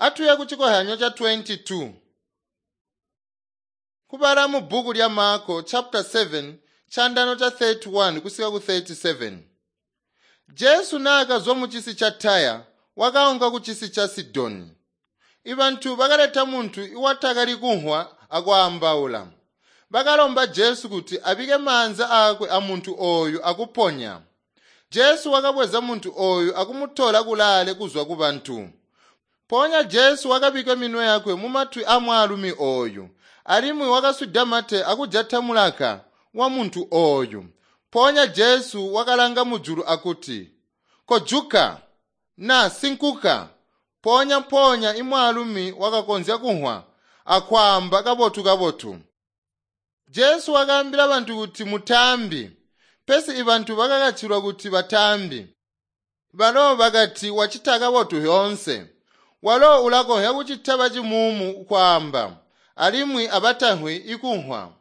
Atuye ku cikohyanyo ca 22. Kubala mu bbuku lya Marko chapter 7 chandano cha 31 kusika ku 37. Jesu naakazwa mu cisi ca Taya wakaunka ku cisi ca Sidoni. Ibantu bakaleta muntu iwatakali kunhwa akwaambaula. Bakalomba Jesu kuti abike maanza aakwe amuntu ooyu akuponya. Jesu wakabweza muntu ooyu akumutola kulaale kuzwa ku bantu. Mpoonya Jesu wakabika minwe yakwe mumatwi amwaalumi ooyu, alimwi wakaswida mate akujata mulaka wamuntu ooyu. Mpoonya Jesu wakalanga mujulu akuti, “Kojuka!” na “Sinkuka!” Mpoonya mpoonya imwaalumi wakakonzya kunhwa akwaamba kabotu-kabotu. Jesu wakaambila bantu kuti mutaambi, pesi ibantu bakakacilwa kuti bataambi. Balo bakati wacita kabotu yoonse. Walo ulakonzya kucita bacimuumu kwaamba, alimwi abatanhwi ikunhwa.